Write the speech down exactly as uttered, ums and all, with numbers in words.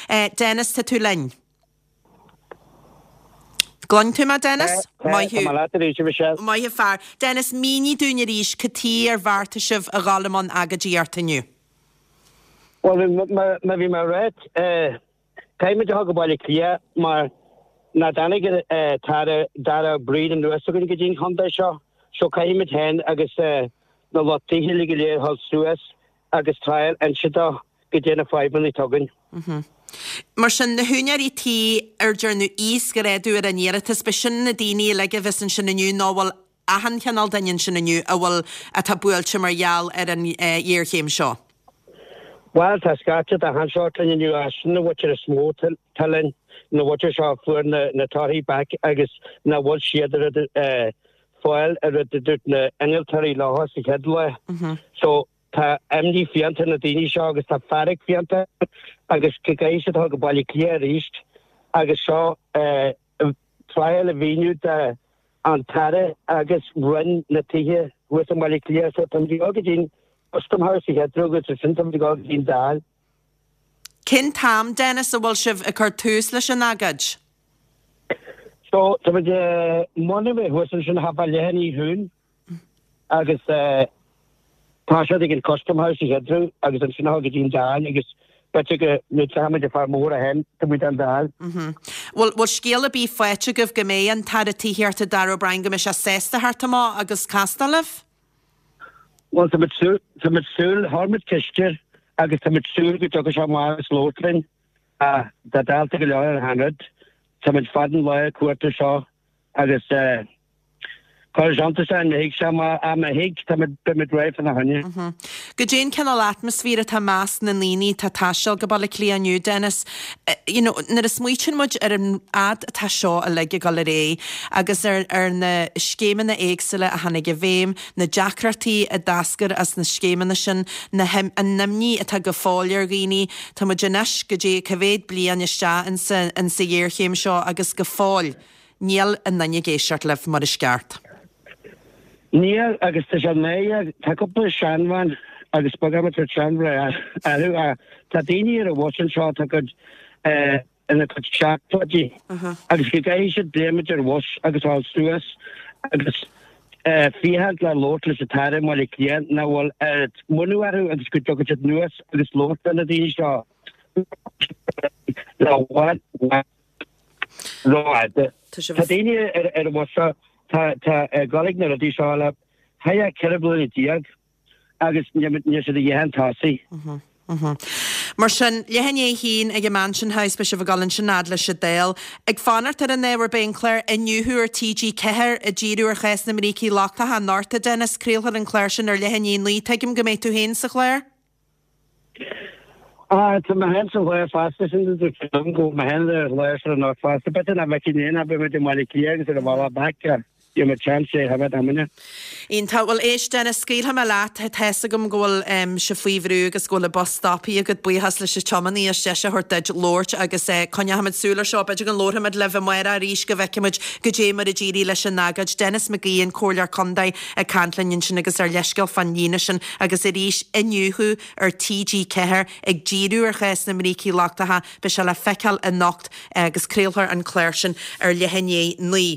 Dennis, tá tú linn? Gcluin tú mé, Dennis? Maith thú. Maith an fear. Dennis, mínigh dúinn arís cad chuige ar bheartaigh sibh a dhul i mbun agóidíochta inniu. Bhuel, mar a bhí mé ag ráit, caithfimid a dhul go Baile Átha Cliath mar nach dtáinig an tAire Darragh O'Brien anuas chugainn go dtí an chontae seo, so caithfimid féin agus na lucht tithe uilig go léir a dhul suas agus triail inse dó goidé na fadhbanna atá againn. Mar sin, na húinéirí tí ar dearnadh íosghrádú ar a n-iarratas, b'shin na daoine uilig a bheas ansin inniu nó bhfuil achan chineál duine ansin inniu a bhfuil, atá buailte mar gheall ar an ghéarchéim seo? Bhuel, tá scaifte d'achan sórt linn inniu, ach sin na mhuintir is mó atá linn, na mhuintir seo a fuair na torthaí back agus nach bhfuil siad ag fáil an rud a dúirt na innealtóirí leo sa chéad lá. So, tá imní fiánta ar na daoine seo agus tá fearg fiánta agus go gcaithfidh siad dul go Baile Átha Cliath arís agus seo triail a mhíniú do an tAire agus Roinn na Tithe thuas i mBaile Átha Cliath. So táimid ag dul go dtí an Custom House a chéad rud agus ansin táimid ag dul go dtí an Dáil. Cén t-am, Dennis, a bhfuil sibh ag cur tús leis an agóid? So táimid i mbun a bheith thuas ansin thart fá leath i ndiaidh a haon agus tá siad ag an Custom House a chéad rud agus ansin a dhul go dtí an Dáil agus b'fhéidir go n-úsáidfimid an fear mór a shéan tá muid an Dáil. Bhfuil bhfuil scéal ar bith faighte agaibh go mbeidh an tAire Tithíochta Darragh O'Brien go mbeidh sé sásta theacht amach agus castáil libh? Bhuel tá muid súil tá muid súil chuir muid ceist air agus tá muid súil go dtiocfaidh sé amach agus labhairt linn. Tá dálta go leor ar achan rud. Tá muid fada an lá ag cuartú seo agus cuirfidh sé iontas orainn má thig sé má má thig tá muid beidh muid réidh fána choinne. Goidé an cineál atmaisféar atá i measc na ndaoine atá ag taisteal go Baile Átha Cliath inniu, Dennis? You know, nuair a smaoitíonn muid ar an fhad atá seo uilig ag dul ar aghaidh agus ar ar na scéimeanna éagsúla a tháinig i bhfeidhm, na deacrachtaí a d'eascair as na scéimeanna sin, na an imní atá go fóill ar dhaoine, tá muid anois goidé cá mhéad bliain isteach insa insa ghéarchéim seo agus go fóill níl aon duine ag éisteacht libh mar is ceart. Níl agus tá sé náireach, tá cúpla seanbhean agus beagán muid seanmhná orthu ach tá daoine ar an bhus anseo atá cuid ina gcuid seachtóidí agus go gcaithfidh siad léimt ar bhus agus a dhul suas agus féachaint le labhairt leis an tAire i mBaile Átha Cliath nach bhfuil oiread muinín orthu agus go dtiocfaidh siad anuas agus labhairt le na daoine seo le bhfad rófhada. Tá daoine ar an bhus seo tá ag dul ag na rudaí seo le thart ceithre bliana déag agus níl siad a dhath chun tosaigh. Mar sin, leath i ndiaidh a haon ag an Mansion House, beidh sibh ag dul ansin fhad leis an Dáil. Ag fanacht ar an ábhar, beidh an clár Iniúchadh ar TG Ceathair ag díriú ar chás na mbrící lochtacha anocht, a Dennis. Craolfar an clár sin ar leath i ndiaidh a naoi. Tuigim go mbeidh tú féin sa chlár? Ah, tá mé féin sa chlár fosta, sin go bhfuil mé féin ar an chlár seo anocht fosta. B'fhéidir nach bhfeicfidh mé ach beidh muid i mBaile Átha Cliath agus ar an bhealach back. Gheobhaidh muid seans é a choimeád amuigh. Iontach. Bhuel, éist, Dennis, scaoilfidh mé leat. Tá's agam go bhfuil sibh faoi bhrú agus go bhfuil an bus stoptha agat. Buíochas leis an tiománaí as deis a thabhairt duit labhairt agus coinneochaimid súil ar seo. B'fhéidir go labharfaimid libh amárach arís go bhfeicfimid goidé mar a d'éirigh leis an agóid. Denis McGee, an Comhairleoir Contae, ag caint linn ansin agus ár leithscéal fán líne sin agus arís Iniúchadh ar TG Ceathair ag díriú ar chás na mbrící lochtacha. Beidh sé le feiceáil anocht agus craolfar an clár sin ar leath i ndiaidh naoi.